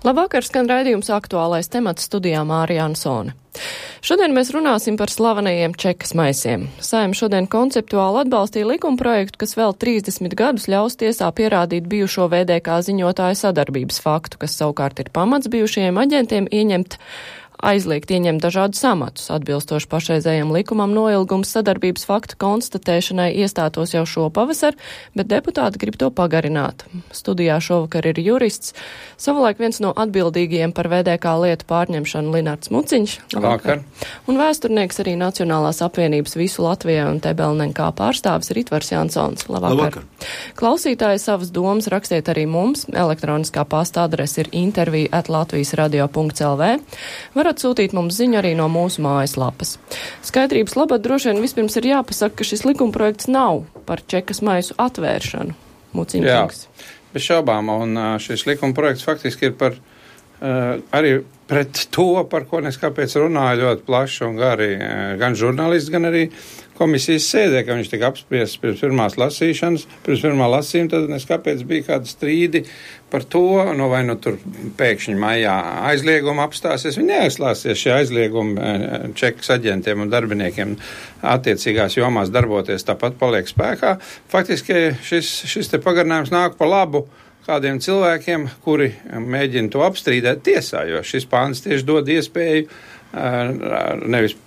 Labvakar, skan raidījums Aktuālais temats, studijā Mārija Ansone. Šodien mēs runāsim par slavenajiem čekas maisiem. Saeima šodien konceptuāli atbalstīja likumprojektu, kas vēl 30 gadus ļaus tiesā pierādīt bijušo VDK ziņotāju sadarbības faktu, kas savukārt ir pamats bijušajiem aģentiem aizliegt ieņemt dažādus amatus. Atbilstoši pašreizējam likumam noilgums sadarbības faktu konstatēšanai iestātos jau šo pavasar, bet deputāti grib to pagarināt. Studijā šovakar ir jurists, savulaik viens no atbildīgajiem par VDK lietu pārņemšanu Linards Muciņš. Labvakar. Un vēsturnieks arī Nacionālās apvienības Visu Latvijai un TBLNK pārstāvis Ritvars Jansons. Labvakar. Klausītāji savas domas rakstiet arī mums. Elektroniskā pasta adrese ir intervija@latvijasradio.lv. Varat sūtīt mums ziņu arī no mūsu mājaslapas. Skaidrības labad droši vien vispirms ir jāpasaka, ka šis likumprojekts nav par čekas maisu atvēršanu. Muciņkungs. Bez šaubām, un šis likumprojekts faktiski ir par arī pret to, par ko nes kāpēc runāja ļoti plaši un gari gan žurnālisti, gan arī komisijas sēdē, ka viņš tika apspriests pirms pirmā lasījuma, tad nes kāpēc bija kādi strīdi par to, vai tur pēkšņi maijā aizlieguma apstāsies. Viņi neaizslāsies šie aizliegumi čekas aģentiem un darbiniekiem attiecīgās jomās darboties, tāpat paliek spēkā. Faktiski šis te pagarinājums nāk pa labu kādiem cilvēkiem, kuri mēģina to apstrīdēt tiesā, jo šis pāns tieši dod iespēju nevis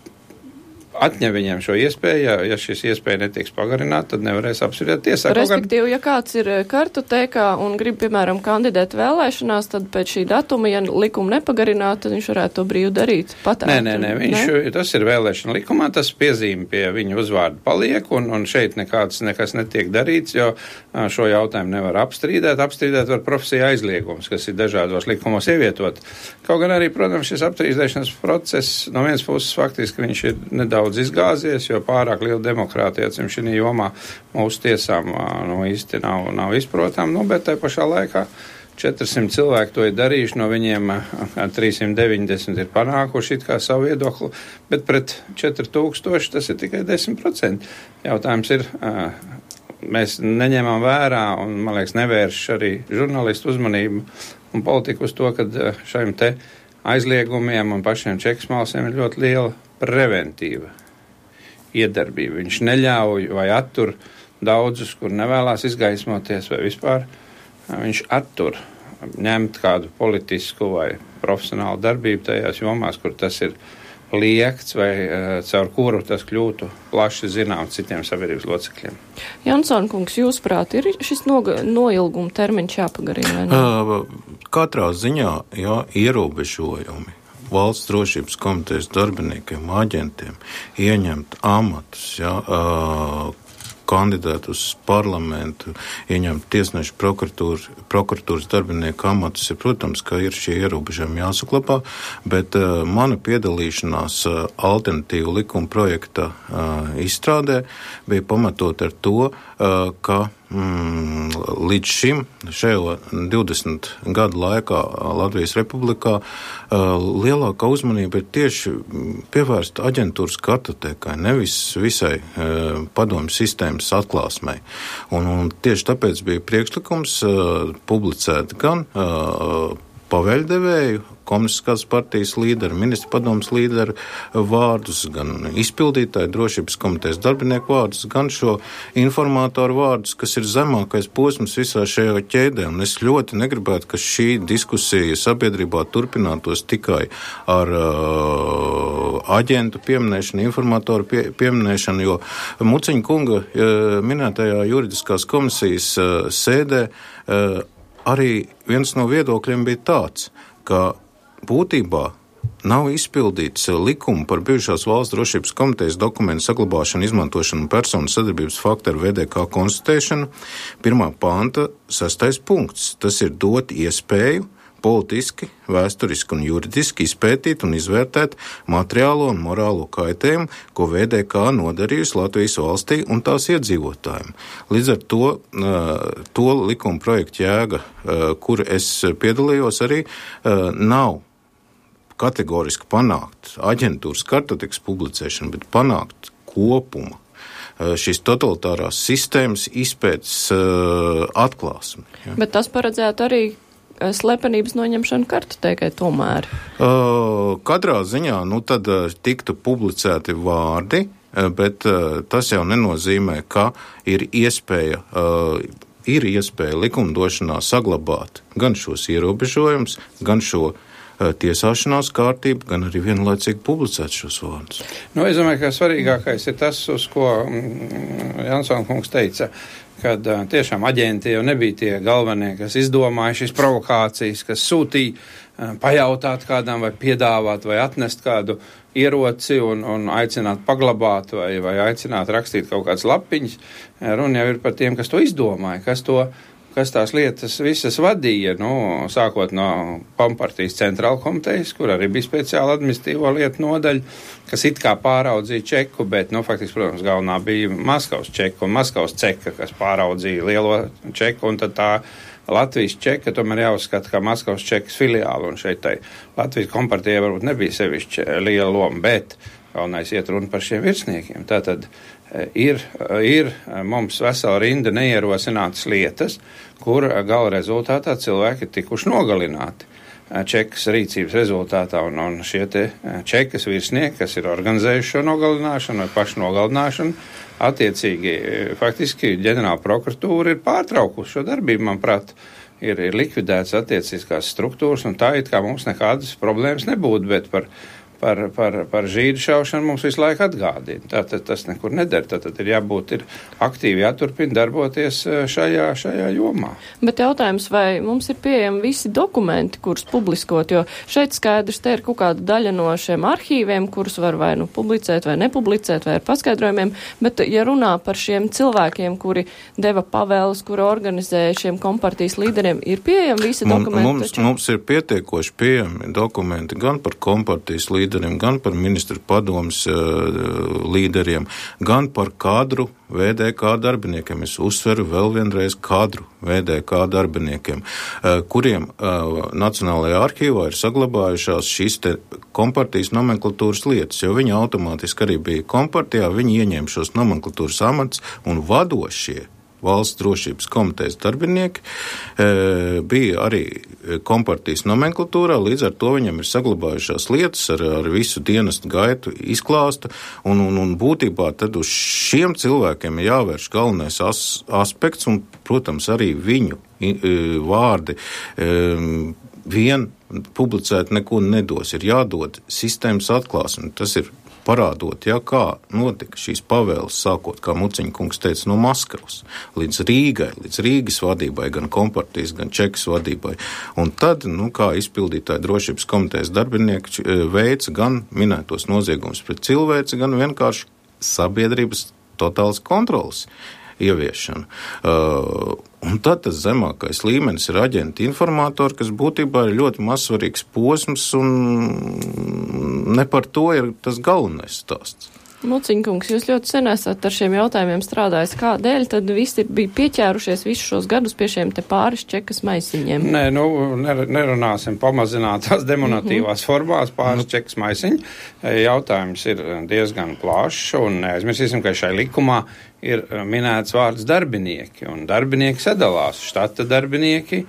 atņem viņiem šo iespēju, ja šis iespēja netiks pagarināta, tad nevarēs apspriest tiesā. Respektīvi, ja kāds ir kartotēkā un grib, piemēram, kandidēt vēlēšanās, tad pēc šī datuma, ja likumu nepagarināt, tad viņš varētu to brīvi darīt. Nē, tas ir vēlēšana likumā, tas piezīme pie viņa uzvārda paliek, un šeit nekas netiek darīts, jo šo jautājumu nevar apstrīdēt. Apstrīdēt var profesija aizliegums, kas ir dažādos likumos ievietot. Kaut gan arī, protams, šis apstrīdēšanas process no vienas puses faktiski viņš ir nedaudz izgāzies, jo pārāk liela demokrātija šī jomā mūsu tiesām īsti nav izprotam, bet tai pašā laikā 400 cilvēki to ir darījuši, no viņiem 390 ir panākuši it kā savu viedokli, bet pret 4000 tas ir tikai 10%. Jautājums ir, mēs neņemam vērā un, man liekas, nevērš arī žurnālistu uzmanību un politiku uz to, ka šajiem te aizliegumiem un pašiem čekas malsiem ir ļoti liela preventīva iedarbība. Viņš neļauj vai attur daudzus, kur nevēlās izgaismoties vai vispār. Viņš attur ņemt kādu politisku vai profesionālu darbību tajās jomās, kur tas ir liekts vai caur kuru tas kļūtu plaši zināms citiem sabiedrības locekļiem. Jansson kungs, jūsuprāt, ir šis noilguma termiņš jāpagarina? Katrā ziņā, ierobežojumi valsts drošības komitejas darbiniekiem, aģentiem ieņemt amatus, kandidēt uz parlamentu, ieņemt tiesnešu prokuratūras darbinieku amatus, protams, ka ir šie ierobežojumi jāsaklapā, bet mana piedalīšanās alternatīvu likuma projekta izstrādē bija pamatot ar to, ka līdz šim, šajā 20 gadu laikā Latvijas Republikā, lielākā uzmanība ir tieši pievērsta aģentūras kartotēkai, nevis visai padomju sistēmas atklāsmei. Un tieši tāpēc bija priekšlikums publicēt gan paveļdevēju, komunistiskās partijas līderu, ministra padomas līderu vārdus, gan izpildītāju drošības komitejas darbinieku vārdus, gan šo informatoru vārdus, kas ir zemākais posms visā šajā ķēdē. Un es ļoti negribētu, ka šī diskusija sabiedrībā turpinātos tikai ar aģentu pieminēšanu, informatoru pieminēšanu, jo Muciņa kunga minētajā juridiskās komisijas sēdē arī viens no viedokļiem bija tāds, ka būtībā nav izpildīts likumu par bijušās valsts drošības komitejas dokumentu saglabāšanu, izmantošanu un personu sadarbības faktu ar VDK konstatēšanu. 1. panta 6. punkts. Tas ir dot iespēju politiski, vēsturiski un juridiski izpētīt un izvērtēt materiālo un morālo kaitējumu, ko VDK nodarījusi Latvijas valstī un tās iedzīvotājiem. Līdz ar to likuma projekta jēga, kur es piedalījos arī, nav kategoriski panākt aģentūras kartotekas publicēšanu, bet panākt kopumu šīs totalitārās sistēmas izpētes atklāsmi. Ja. Bet tas paredzētu arī slepenības noņemšana kartotēkai tomēr? Katrā ziņā, tad tiktu publicēti vārdi, bet tas jau nenozīmē, ka ir iespēja likumdošanā saglabāt gan šos ierobežojumus, gan šo tiesāšanās kārtību, gan arī vienlaicīgi publicēt šos vārdus. Es domāju, ka svarīgākais ir tas, uz ko Jansona kungs teica, kad tiešām aģenti jau nebija tie galvenie, kas izdomāja šīs provokācijas, kas sūtīja pajautāt kādam vai piedāvāt vai atnest kādu ieroci un aicināt paglabāt vai aicināt rakstīt kaut kādas lapiņas. Runa jau ir par tiem, kas to izdomāja, kas tās lietas visas vadīja, sākot no Kompartijas centrāla komitejas, kur arī bija speciāla administratīvo lietu nodaļa, kas it kā pāraudzīja čeku, bet, faktiski, protams, galvenā bija Maskavas čeka un Maskavas ceka, kas pāraudzīja lielo čeku, un tad tā Latvijas čeka tomēr jāuzskata kā Maskavas čekas filiāli, un šeit tai Latvijas Kompartijai varbūt nebija sevišķi liela loma, bet galvenais iet runa par šiem virsniekiem. Tātad ir mums vesela rinda neierosinātas lietas, kur gala rezultātā cilvēki ir tikuši nogalināti čekas rīcības rezultātā, un šie te čekas virsnieki, kas ir organizējuši šo nogalināšanu vai pašu nogalināšanu, attiecīgi faktiski ģenerāla prokuratūra ir pārtraukusi šo darbību, manuprāt, ir likvidēts attiecīgās struktūras, un tā it kā mums nekādas problēmas nebūtu, bet par žīdu šaušanu mums visu laiku atgādina. Tātad tas nekur neder. Tātad ir aktīvi jāturpina darboties šajā jomā. Bet jautājums, vai mums ir pieejami visi dokumenti, kurus publiskot, jo šeit skaidrs, te ir kaut kāda daļa no šiem arhīviem, kurus var vai publicēt vai nepublicēt vai ar paskaidrojumiem, bet ja runā par šiem cilvēkiem, kuri deva pavēles, kuri organizēja šiem kompartijas līderiem, ir pieejami visi dokumenti? Mums ir pietiekoši pieejami dokumenti gan par kompartijas līderiem, gan par ministru padomas līderiem, gan par kadru VDK darbiniekiem. Es uzsveru vēl vienreiz kadru VDK darbiniekiem, kuriem Nacionālajā arhīvā ir saglabājušās šīs te kompartijas nomenklatūras lietas, jo viņi automātiski arī bija kompartijā, viņi ieņēma šos nomenklatūras amats un vadošie Valsts drošības komitejas darbinieki bija arī kompartijas nomenklatūrā, līdz ar to viņam ir saglabājušās lietas ar visu dienestu gaitu izklāstu, un būtībā tad uz šiem cilvēkiem ir jāvērš galvenais aspekts, un, protams, arī viņu vārdi vien publicēt neko nedos, ir jādod sistēmas atklāsme, tas ir parādot, kā notika šīs pavēles, sākot, kā Muciņa kungs teica, no Maskavas līdz Rīgai, līdz Rīgas vadībai, gan kompartijas, gan čekas vadībai. Un tad, kā izpildītāji drošības komitejas darbinieki veica gan minētos noziegumus pret cilvēci, gan vienkārši sabiedrības totālas kontrolas ieviešana. Un tad tas zemākais līmenis ir aģenti informatori, kas būtībā ir ļoti mazsvarīgs posms, un ne par to ir tas galvenais stāsts. Muciņkungs, jūs ļoti sen esat ar šiem jautājumiem strādājis. Kādēļ tad visi bija pieķērušies visus šos gadus pie šiem te pāris čekas maisiņiem? Nē, nerunāsim pamazinātās demonatīvās formās pāris čekas maisiņi. Jautājums ir diezgan plašs, un neaizmirsīsim, ka šai likumā ir minēts vārds darbinieki, un darbinieki sadalās štata darbinieki,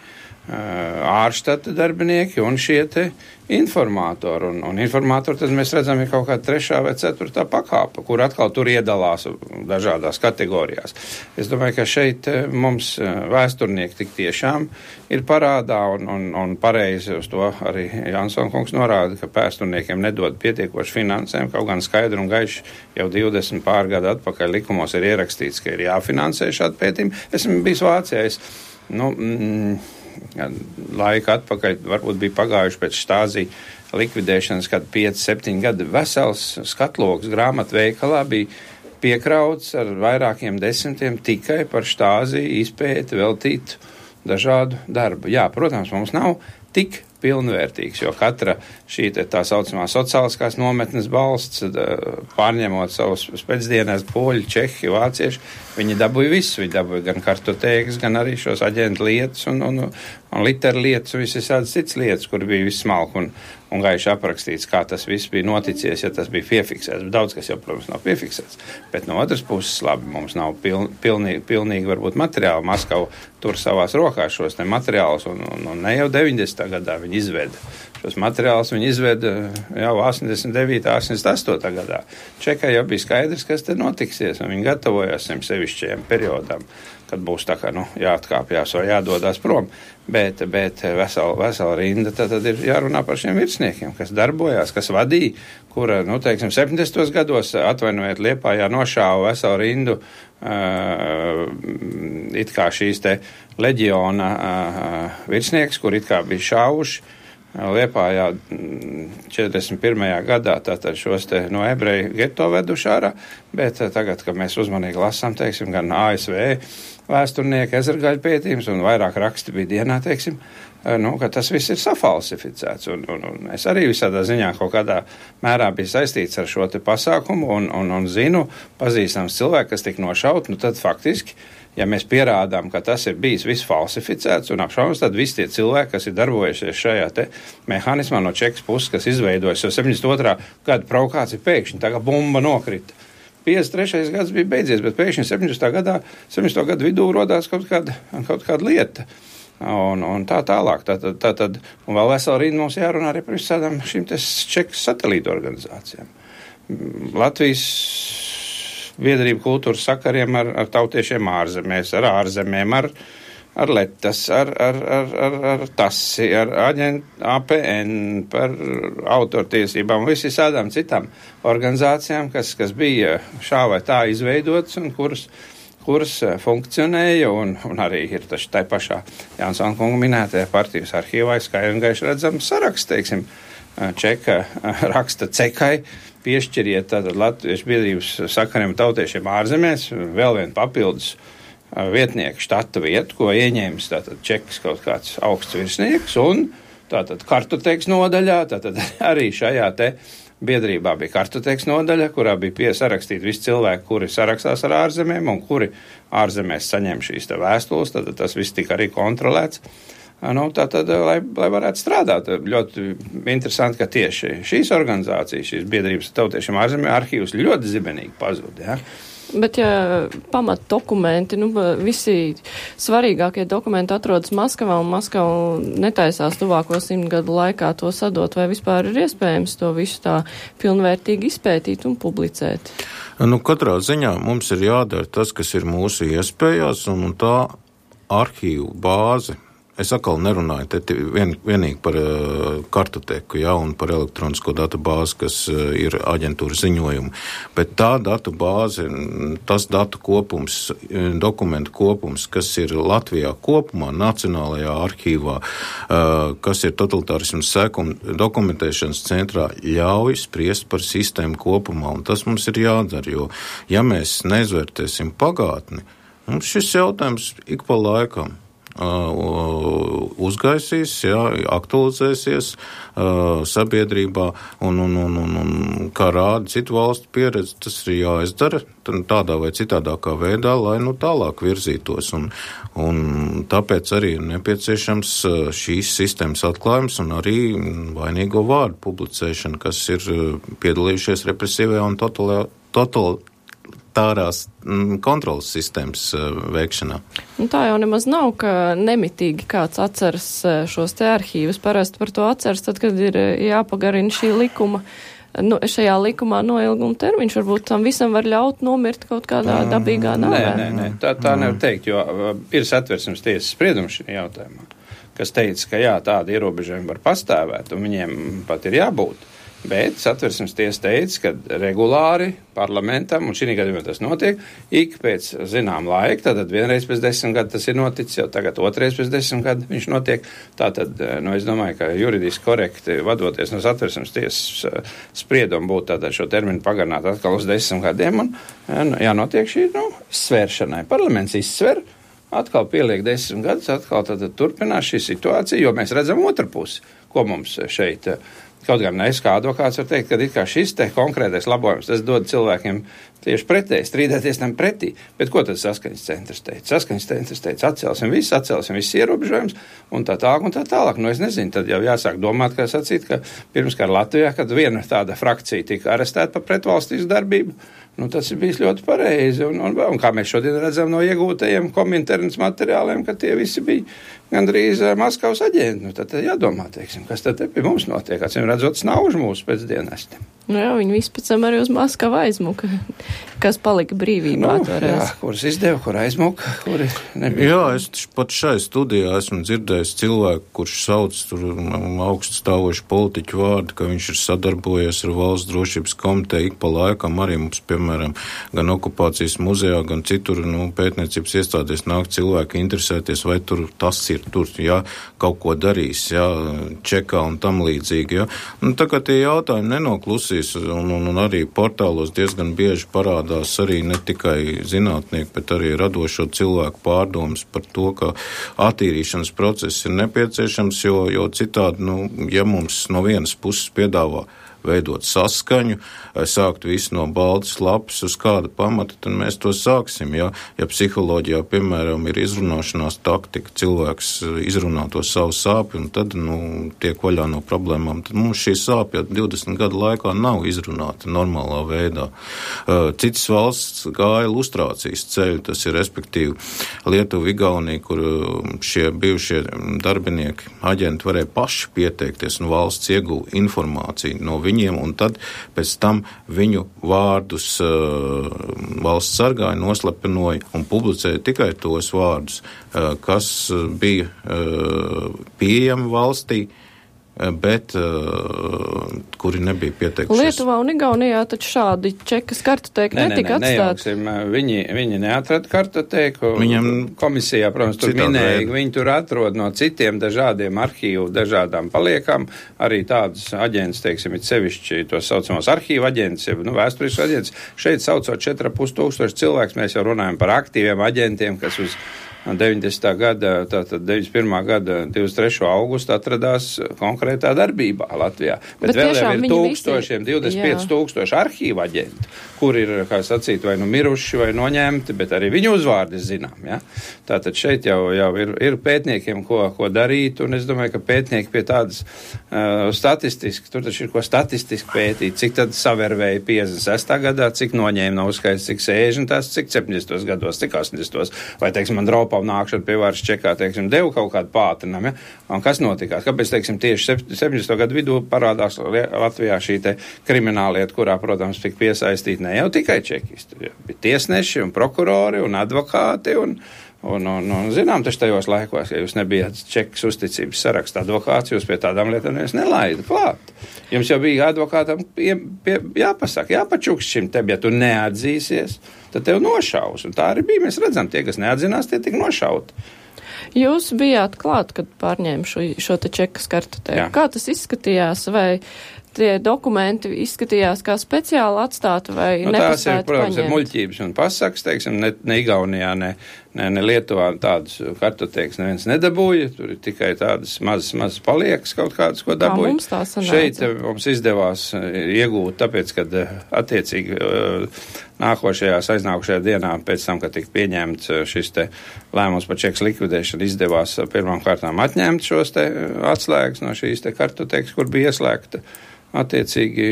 ārštata darbinieki un šie te informatori. Un informatori tad mēs redzam ir kaut kāda 3. vai 4. pakāpa, kur atkal tur iedalās dažādās kategorijās. Es domāju, ka šeit mums vēsturnieki tik tiešām ir parādā, un pareizi uz to arī Jansona kungs norāda, ka vēsturniekiem nedod pietiekoši finansēm, kaut gan skaidri un gaiši jau 20 pārgadu atpakaļ likumos ir ierakstīts, ka ir jāfinansē šādi pētījumi. Esmu bijis Vācijā, laika atpakaļ, varbūt bija pagājuši pēc Štāzī likvidēšanas, kad 5-7 gadi vesels skatloks grāmatveikalā bija piekrauts ar vairākiem desmitiem tikai par Štāzī izpēti veltītu dažādu darbu. Jā, protams, mums nav tik pilnvērtīgs, jo katra šī tā saucamā sociāliskās nometnes balsts, pārņemot savus pēcdienās poļi, čehi, vācieši, viņi dabūja visu, viņi dabūja gan kartotēkas, gan arī šos aģentu lietas un literu lietas un visas cits lietas, kur bija viss smalki un gaiši aprakstīts, kā tas viss bija noticies, ja tas bija piefiksēts. Daudz, kas jau, protams, nav piefiksēts. Bet no otras puses, labi, mums nav pilnīgi varbūt materiāli. Maskava tur savās rokās šos te materiālus un ne jau 90. gadā viņi izveda. Šos materiālus viņi izveda jau 89. 88. gadā. Čekai jau bija skaidrs, kas te notiksies, un viņi gatavojās šiem sevišķajiem periodam, kad būs tā kā, jāatkāpjās vai jādodās prom. Bet vesela rinda tad ir jārunā par šiem virsniekiem, kas darbojās, kas vadīja, kura, 70. gados, atvainojiet, Liepājā nošāva veselu rindu it kā šīs te leģiona virsnieks, kur it kā bija šāvuši Liepājā 41. gadā, tātad šos te no ebreju geto veduši ārā, bet tagad, kad mēs uzmanīgi lasām, teiksim, gan ASV vēsturnieki, ezergaļu pētījums un vairāk raksti bija dienā, teiksim, ka tas viss ir safalsificēts. Un es arī visādā ziņā kaut kādā mērā biju saistīts ar šo te pasākumu un zinu, pazīstams cilvēki, kas tik nošaut, tad faktiski, ja mēs pierādām, ka tas ir bijis viss falsificēts un apšaubams, tad visi tie cilvēki, kas ir darbojušies šajā te mehānismā no Čekas puses, kas izveidojas jau 72. gada provokācija, pēkšņi tā kā bumba nokrita. 53. gads bija beidzies, bet pēkšņi 70. gadu vidū rodās kaut kāda lieta. Un tā tālāk. Tad, un vēl vesela rīna mums jārunā arī par visādām šīm te Čekas satelītu organizācijām. Latvijas biedrību kultūras sakariem ar tautiešiem ārzemēs, ar ārzemēm, ar Letas, ar TASI, ar APN, par autortiesībām, visādām citām organizācijām, kas bija šā vai tā izveidotas un kuras funkcionēja, un arī ir taču tai pašā Jansona kunga minētajā partijas arhīvā skaidri un gaiši redzams saraksts, teiksim, Čeka raksta Cekai, piešķiriet tātad Latviešu biedrības sakariem tautiešiem ārzemēs, vēl vien papildus vietnieku štata vietu, ko ieņēmis tātad Čekas kaut kāds augsts virsnieks, un tātad kartotēkas nodaļā, tātad arī šajā te biedrībā bija kartotēkas nodaļa, kurā bija sarakstīti visi cilvēki, kuri sarakstās ar ārzemēm un kuri ārzemēs saņem šīs te vēstules, tad tas viss tika arī kontrolēts. Tātad, lai varētu strādāt, ļoti interesanti, ka tieši šīs organizācijas, šīs biedrības tautiešiem ārzemē arhīvs ļoti zibenīgi pazūd, ja? Bet, ja pamat dokumenti, visi svarīgākie dokumenti atrodas Maskavā, un Maskava netaisās tuvāko 100 gadu laikā to sadot, vai vispār ir iespējams to visu tā pilnvērtīgi izpētīt un publicēt? Katrā ziņā mums ir jādara tas, kas ir mūsu iespējās, un tā arhīvu bāze. Es atkal nerunāju te vienīgi par kartoteku, un par elektronisko datu bāzi, kas ir aģentūra ziņojumi, bet tā datu bāze, tas datu kopums, dokumentu kopums, kas ir Latvijā kopumā, Nacionālajā arhīvā, kas ir totalitārisms sekuma dokumentēšanas centrā, ļauj spriest par sistēmu kopumā, un tas mums ir jādara, jo ja mēs neizvērtēsim pagātni, mums šis jautājums ik pa laikam uzgaisīs, aktualizēsies sabiedrībā un kā rāda citu valstu pieredze, tas ir jāizdara tādā vai citādākā veidā, lai tālāk virzītos. Un tāpēc arī ir nepieciešams šīs sistēmas atklājums un arī vainīgo vārdu publicēšana, kas ir piedalījušies represīvajā un totalitārās kontrolas sistēmas veikšanā. Tā jau nemaz nav, ka nemitīgi kāds atceras šos te arhīvus. Parasti par to atceras, tad, kad ir jāpagarina šī likuma, šajā likumā noilguma termiņš. Varbūt tam visam var ļaut nomirt kaut kādā dabīgā nāvē. Nē, tā nevar teikt, jo ir Satversmes tiesas spriedums šajā jautājumā, kas teica, ka tādi ierobežojumi var pastāvēt, un viņiem pat ir jābūt. Bet Satversmes tiesa teica, ka regulāri parlamentam, un šī gadījumā tas notiek, ik pēc zinām laika, tātad vienreiz pēc 10 gadu tas ir noticis, jau tagad otrais pēc 10 gadu viņš notiek. Tātad, es domāju, ka juridiski korekti vadoties no Satversmes tiesas spriedumu būtu tātad šo terminu pagarināt atkal uz 10 gadiem, un jānotiek šī svēršanai. Parlaments izsver, atkal pieliek 10 gadus, atkal tad turpinās šī situācija, jo mēs redzam otru pusi, ko mums šeit. Kaut gan es kā advokāts var teikt, ka it kā šis te konkrētais labojums, tas dod cilvēkiem tieši pretēji, strīdēties tam pretī. Bet ko tad saskaņas centrs teica? Saskaņas centrs teica, atcelsim visus ierobežojumus un tā tālāk. Nu, es nezinu, tad jau jāsāk domāt, kā sacīt, ka pirms kā Latvijā, kad viena tāda frakcija tika arestēta par pretvalstisku darbību, nu, tas ir bijis ļoti pareizi. Un kā mēs šodien redzam no iegūtajiem kominternas materiāliem, ka tie visi bija gandrīz Maskavas aģenti. Nu, tad jādomā, teiksim, kas tad pie mums notiek. Acīm redzot, snauž mūsu pēcdienesti. Nu jā, viņi visi pēc tam arī uz Maskavu aizmuka, kas palika brīvībā toreiz. Jā, kuras izdeva, kur aizmuka, kuri nebija. Jā, es pat šai studijā esmu dzirdējis cilvēku, kurš sauc tur augstu stāvošu politiķu vārdu, ka viņš ir sadarbojies ar Valsts drošības komiteju ik pa laikam arī mums, piemēram, gan okupācijas muzejā, gan citur, pētniecības iestādēs nāk cilvēki interesēties, vai tur tas ir tur, jā, kaut ko darīs, jā, čekā un tam līdzīgi, jā. Un tā kā tie jautājumi nenoklusīs, un arī portālos diezgan bieži parādās arī ne tikai zinātnieki, bet arī radošo cilvēku pārdomas par to, ka attīrīšanas process ir nepieciešams, jo citādi, ja mums no vienas puses piedāvā veidot saskaņu, sākt visu no baltas lapas uz kāda pamata, tad mēs to sāksim. Ja psiholoģijā, piemēram, ir izrunāšanās taktika, cilvēks izrunā to savu sāpi un tad tiek vaļā no problēmām, tad mums šī sāpja 20 gadu laikā nav izrunāta normālā veidā. Citas valsts gāja lustrācijas ceļu, tas ir respektīvi Lietuva, Igaunija, kur šie bijušie darbinieki, aģenti varēja paši pieteikties un valsts ieguva informāciju no viņiem, un tad pēc tam viņu vārdus valsts sargāja, noslepenoja un publicēja tikai tos vārdus, kas bija pieejami valstī, bet kuri nebija pieteikušies. Lietuvā un Igaunijā taču šādi čekas kartotēki netika atstāti. Viņi neatrada kartotēku. Viņam komisijā, protams, tur minēja, viņi tur atrod no citiem dažādiem arhīvu, dažādām paliekām, arī tādus aģentus, teiksim, it sevišķi tos saucamos arhīvu aģentus, vēsturisku aģentus. Šeit saucot 4500 cilvēks, mēs jau runājam par aktīviem aģentiem, kas uz 90. gada, tātad 91. gada 23. augustu atradās konkrētā darbībā Latvijā. Bet vēl jau ir tūkstošiem, 25 tūkstoši arhīva aģenti, kur ir, kā sacīt, vai miruši, vai noņemti, bet arī viņu uzvārdi zinām. Ja? Tātad šeit jau ir pētniekiem, ko darīt, un es domāju, ka pētnieki pie tādas statistiski, tur taču ir ko statistiski pētīt, cik tad savervēja 56. gadā, cik noņēma nav skaits, cik 60. cik 70. gados, cik 80. vai, teiksim, Andropā nākšana pie varas čekā, teiksim, deva kaut kādu pātrinam, ja? Un kas notikās? Kāpēc, teiksim, tieši 70. gadu vidū parādās Latvijā šī te krimināllieta, kurā, protams, tika piesaistīti ne jau tikai čekisti, bija tiesneši un prokurori un advokāti un zinām, taču tajos laikos, ja jūs nebijāt čekas uzticības saraksta advokāts, jūs pie tādām lietām nelaida klāt. Jums jau bija advokātam jāpasaka, jāpačuks šim tev, ja tu neatzīsies, tad tev nošaus. Un tā arī bija. Mēs redzam, tie, kas neatzinās, tie tika nošauti. Jūs bijāt klāt, kad pārņēma šo te čekas kartotēku. Kā tas izskatījās? Vai tie dokumenti izskatījās kā speciāli atstāti vai nepastāti paņemt? Tās ir, protams, ir muļķības un pasakas, teiksim, ne Igaunijā, ne Lietuvā tādus kartotēkas neviens nedabūja, tur ir tikai tādas mazas paliekas kaut kādas, ko dabūja. Kā mums tā sanāca? Šeit mums izdevās iegūt, tāpēc, kad attiecīgi aiznākušajā dienā, pēc tam, kad tika pieņemts šis te lēmums par čekas likvidēšanu, izdevās pirmām kārtām atņemt šos te atslēgas no šīs te kartotēkas, kur bija ieslēgta attiecīgi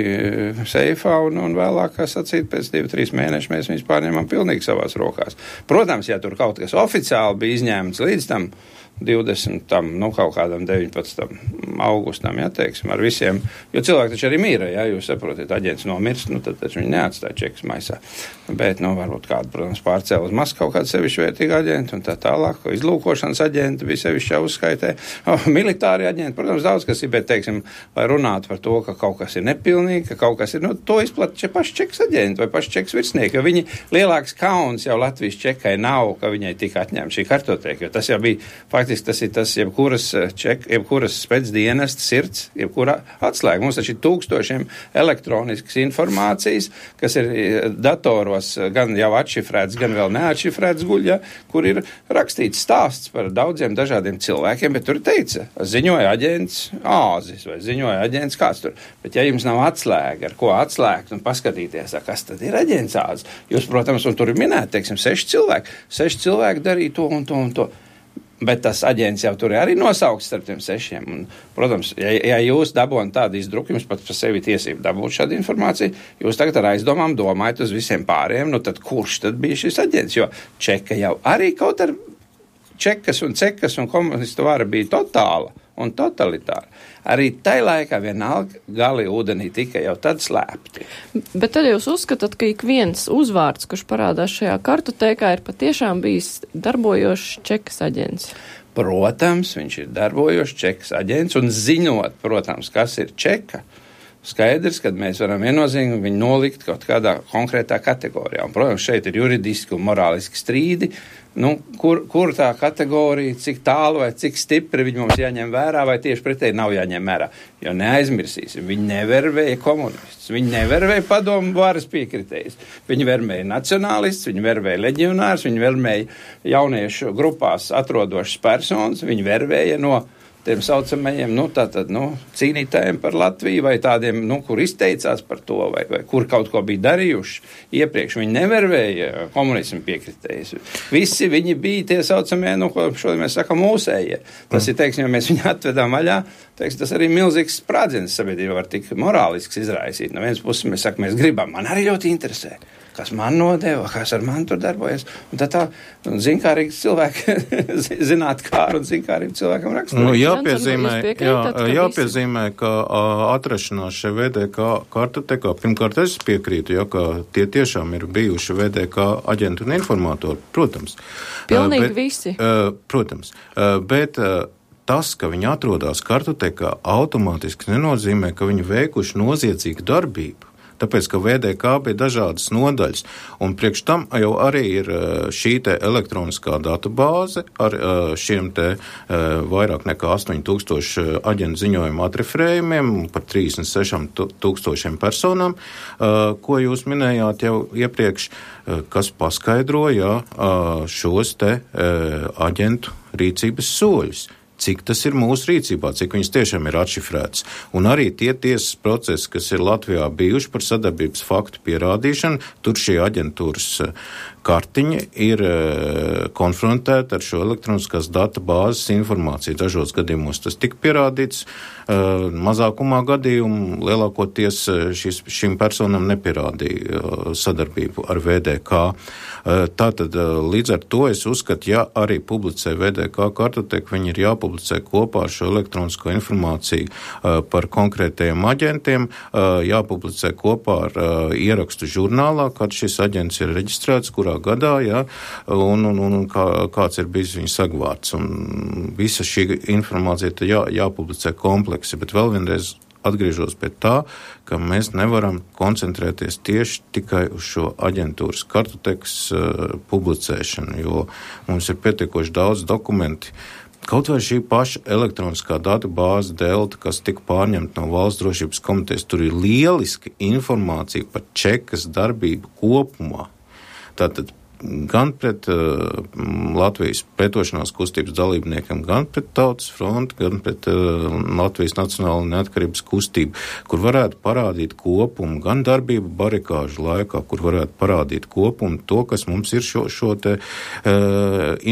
seifā, un vēlāk, kā sacīt, pēc 2-3 mēnešu mēs viņus pārņemam pilnīgi savās rokās. Protams, ja tur kaut kas oficiāli bija izņēmts līdz tam 20. Kaut kādam 19. augustam, ja, teiksim, ar visiem, jo cilvēki taču arī mīra, ja, jūs saprotat, aģents nomirst, tad taču viņi neatstāja čekas maisā. Bet, varbūt kādu, protams, pārcēla uz Maskavu kādu sevišķi vērtīgu aģentu un tā tālāk, izlūkošanas aģenti bija sevišķi uzskaitē. Militāri aģenti, protams, daudz kas ir, bet, teiksim, lai runātu par to, ka kaut kas ir nepilnīgi, ka kaut kas ir, to izplata paši čekas aģenti vai paši čekas virsnieki, jo viņi lielāks kauns jau Latvijas čekai nav, ka viņai tika atņemta šī kartotēka, jo tas jau bija faktiski tas ir tas jebkuras spēcdienestu sirds, jebkura atslēga. Mums taču ir tūkstošiem elektroniskas informācijas, kas ir datoros gan jau atšifrēts, gan vēl neatšifrēts guļa, kur ir rakstīts stāsts par daudziem dažādiem cilvēkiem, bet tur teica, ziņoja aģents Āzis vai ziņoja aģents kāds tur. Bet ja jums nav atslēga, ar ko atslēgt un paskatīties, kas tad ir aģents Āzis, jūs, protams, un tur ir minēti, teiksim, 6 cilvēki darīja to un to un to. Bet tas aģents jau tur ir arī nosaukts starp tiem 6. Un, protams, ja jūs dabonat tādu izdruku, jums pat par sevi tiesību dabūt šādu informāciju, jūs tagad ar aizdomām domājat uz visiem pārējiem, nu tad kurš tad bija šis aģents? Jo Čeka jau arī kaut ar čekas un cekas un komunistu vara bija totāla un totalitāra. Arī tai laikā vienalga gali ūdenī tika jau tad slēpti. Bet tad jūs uzskatāt, ka ik viens uzvārds, kurš parādās šajā kartotēkā, ir patiešām bijis darbojošs Čekas aģents? Protams, viņš ir darbojošs Čekas aģents un ziņot, protams, kas ir Čeka. Skaidrs, kad mēs varam viennozīmīgi viņu nolikt kaut kādā konkrētā kategorijā. Un, protams, šeit ir juridiski un morāliski strīdi, kur tā kategorija, cik tālu vai cik stipri viņi mums jāņem vērā, vai tieši pretēji nav jāņem vērā. Jo neaizmirsīsim, viņi nevervēja komunistus, viņi nevervēja padomu varas piekritējus, viņi vervēja nacionālistus, viņi vervēja leģionārus, viņi vervēja jauniešu grupās atrodošas personas, viņi vervēja no tiem saucamajiem, cīnītājiem par Latviju vai tādiem, kur izteicās par to vai kur kaut ko bija darījuši iepriekš. Viņi nevervēja komunismu piekritējus. Visi viņi bija tie saucamie, ko šodien mēs sakam, mūsējie. Tas ir, teiksim, ja mēs viņu atvedām vaļā, tas arī milzīgs sprādziens sabiedrībā var tik morālisks izraisīt. No vienas puses mēs sakam, mēs gribam, man arī ļoti interesē, kas man nodeva, kas ar mani tur darbojas. Un tad tā zinkārīgi cilvēki zinātkāri un zinkārīgi cilvēkam rakstura. Jāpiezīmē, ka atrašanās šai VDK kartotekā, pirmkārt es piekrītu, ka tie tiešām ir bijuši VDK aģenti un informātori, protams. Pilnīgi visi. Protams, bet tas, ka viņi atrodas kartotekā, automātiski nenozīmē, ka viņi veikuši noziedzīgu darbību. Tāpēc, ka VDK bija dažādas nodaļas, un priekš tam jau arī ir šī te elektroniskā databāze ar šiem te vairāk nekā 8000 aģentu ziņojumu atreferējumiem par 36,000 personām, ko jūs minējāt jau iepriekš, kas paskaidroja šos te aģentu rīcības soļus. Cik tas ir mūsu rīcībā, cik viņas tiešām ir atšifrētas. Un arī tie tiesas procesi, kas ir Latvijā bijuši par sadarbības faktu pierādīšanu, tur šī aģentūras kartiņa ir konfrontēta ar šo elektroniskās databāzes informāciju. Dažos gadījumos tas tika pierādīts, mazākumā gadījumu lielākoties šīm personām nepierādīja sadarbību ar VDK. Tātad līdz ar to es uzskatu, ja arī publicē VDK kartoteku, viņi ir jāpublicē kopā ar šo elektronisko informāciju par konkrētajiem aģentiem, jāpublicē kopā ar ierakstu žurnālā, kad šis aģents ir reģistrēts, kurā gadā, un kāds ir bijis viņa sagvārds. Un visa šī informācija jāpublicē kompleksi, bet vēl vienreiz atgriežos pie tā, ka mēs nevaram koncentrēties tieši tikai uz šo aģentūras kartotekas publicēšanu, jo mums ir pietiekoši daudz dokumenti. Kaut vai šī paša elektroniskā databāze Delta, kas tika pārņemta no Valsts drošības komitejas, tur ir lieliski informācija par Čekas darbību kopumā. Tātad gan pret Latvijas pretošanās kustības dalībniekiem, gan pret Tautas fronti, gan pret Latvijas Nacionālo neatkarības kustību, kur varētu parādīt kopumu, gan darbību barikāžu laikā, kur varētu parādīt kopumu to, kas mums ir šo te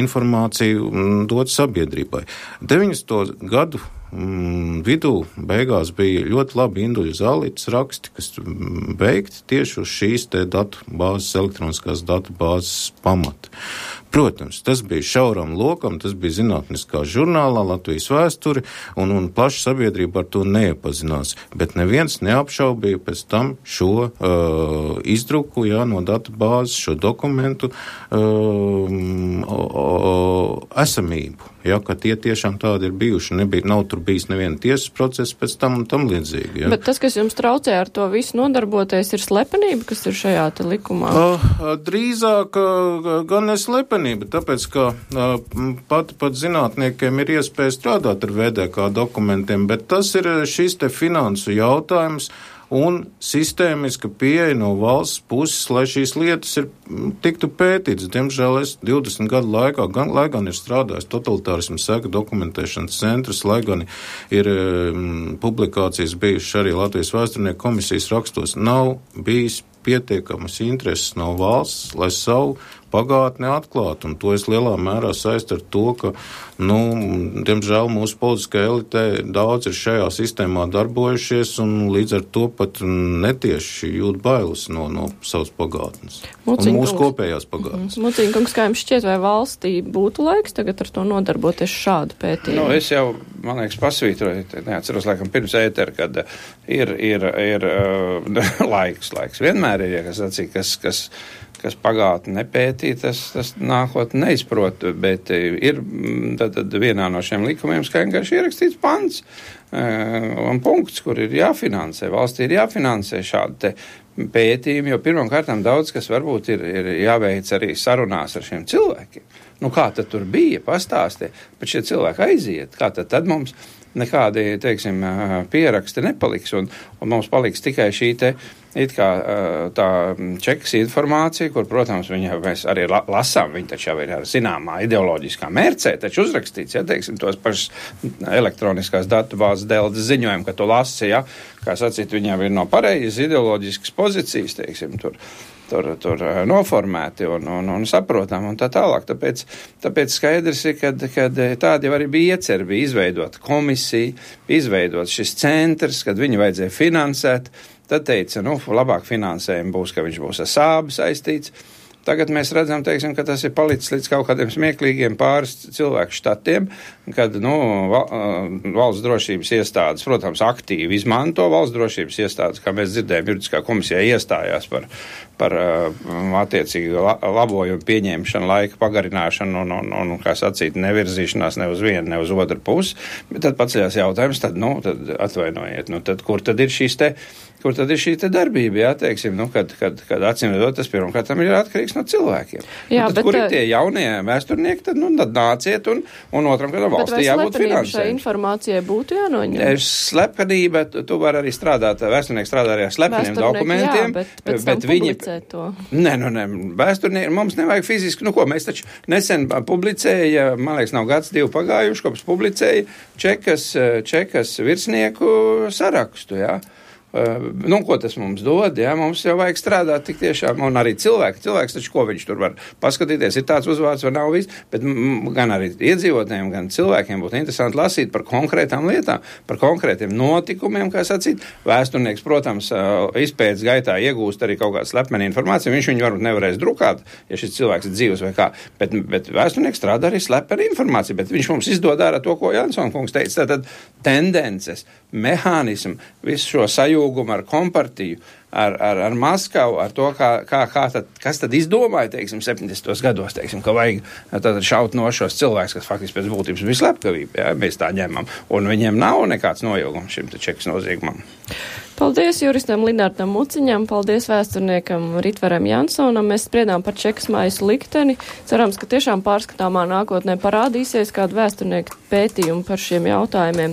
informāciju dot sabiedrībai. 90. gadu vidū beigās bija ļoti labi Induļa Zālītes raksti, kas beigti tieši uz šīs te datubāzes, elektroniskās datubāzes pamata. Protams, tas bija šauram lokam, tas bija zinātniskā žurnālā Latvijas vēsture, un plaša sabiedrība ar to neiepazinās, bet neviens neapšaubīja pēc tam šo izdruku, no datubāzes, šo dokumentu esamību. ja, ka tie tiešām tādi ir bijuši. Nav tur bijis neviena tiesas procesa pēc tam un tam līdzīgi. Ja. Bet tas, kas jums traucē ar to visu nodarboties, ir slepenība, kas ir šajā te likumā? Drīzāk gan ne slepenība, tāpēc, ka pat zinātniekiem ir iespēja strādāt ar VDK dokumentiem, bet tas ir šis te finansu jautājums un sistēmiska pieeja no valsts puses, lai šīs lietas tiktu pētītas. Diemžēl es 20 gadu laikā, lai gan ir strādājis totalitārismu seka dokumentēšanas centrs, lai gan ir publikācijas bijušas arī Latvijas vēsturnieku komisijas rakstos, nav bijis pietiekamas intereses no valsts, lai savu pagātni atklātu, un to es lielā mērā saistu ar to, ka, diemžēl mūsu politiskā elitē daudz ir šajā sistēmā darbojušies, un līdz ar to pat netieši jūt bailes no savas pagātnes. Un mūsu kopējās pagātnes. Mucīņkungs, kā jums šķiet, vai valstī būtu laiks tagad ar to nodarboties šādu pētījumu? Es jau, man liekas, pasvītroju, neatceros, laikam, pirms ētera, kad ir laiks. Vienmēr ir, ja kas sacīja, kas pagātni nepētī, tas nākotnē neizprot, bet ir tad vienā no šiem likumiem skaidri ierakstīts pants un punkts, kur ir jāfinansē. Valstī ir jāfinansē šādi te pētījumi, jo pirmām kārtām daudz, kas varbūt ir jāveic arī sarunās ar šiem cilvēkiem. Kā tad tur bija, pastāstī, bet šie cilvēki aiziet, kā tad mums nekādi, teiksim, pieraksti nepaliks, un mums paliks tikai šī te it kā tā čekas informācija, kur, protams, mēs arī lasām, viņi taču jau ir ar zināmā ideoloģiskā mērcē, taču uzrakstīts, ja, teiksim, tos pašas elektroniskās datubāzes dēldes ziņojumu, ka tu lasi, ja, kā sacīt, viņiem ir no pareizes ideoloģiskas pozīcijas, teiksim, tur noformēti un saprotam un tā tālāk. Tāpēc skaidrs ir, kad tādi jau arī bija ieceri, bija izveidot komisiju, izveidot šis centrs, kad viņu vajadzēja finansēt. Tad teica, labāk finansējumi būs, ka viņš būs ar sābu saistīts. Tagad mēs redzam, teiksim, ka tas ir palicis līdz kaut kādiem smieklīgiem pāris cilvēku štatiem, kad, valsts drošības iestādes, protams, aktīvi izmanto valsts drošības iestādes, kā mēs dzirdējām, juridiskā komisijā iestājās par attiecīgu labojumu pieņemšanu, laika pagarināšanu un kā sacīt, nevirzīšanās ne uz vienu, ne uz otru pusi. Bet tad paceļās jautājums, tad atvainojiet, tad kur tad ir šī te darbība, jā, teiksim, kad acīmredzot, tas pirmkārt ir atkarīgs no cilvēkiem. Jā, tad, kur ir tie jaunie vēsturnieki, tad nāciet un otram, kad valstī jābūt finansēm. Šai informācijai būtu jānoņem? Slepenība, tu vari arī strādāt, vēsturnieki strādā arī ar slepeniem dokumentiem. Jā, bet viņi publicē to. Nē, vēsturnieki, mums nevajag fiziski, mēs taču nesen publicēja, man liekas, nav gads, 2 pagājuši, kopš publicēja čekas virsnieku sarakstu, jā. Ko tas mums dod, jā, mums jau vajag strādāt tik tiešām, un arī cilvēks taču, ko viņš tur var paskatīties, ir tāds uzvārds vai nav viss, bet gan arī iedzīvotājiem, gan cilvēkiem būtu interesanti lasīt par konkrētām lietām, par konkrētiem notikumiem, kā sacīt. Vēsturnieks, protams, izpētes gaitā iegūst arī kaut kādu slepenu informāciju, viņš viņu varbūt nevarēs drukāt, ja šis cilvēks ir dzīvs vai kā, bet vēsturnieks strādā arī slepenu informāciju, bet viņš mums izdod ārā to, ko Jansona kungs teica, tātad tendences, mehānismu, visu šo sajūgumu ar kompartiju, ar Maskavu, ar to, kas tad izdomāja, teiksim, 70. gados, teiksim, ka vajag tad šaut no šos cilvēkus, kas faktiski pēc būtības bija slepkavība, jā, mēs tā ņemam, un viņiem nav nekāds noilgums šim te čekas noziegumam. Paldies juristam Linārtam Muciņam, paldies vēsturniekam Ritvaram Jansonam. Mēs spriedām par čekas maisu likteni. Cerams, ka tiešām pārskatāmā nākotnē parādīsies kādu vēsturnieku pētījumu par šiem jautājumiem.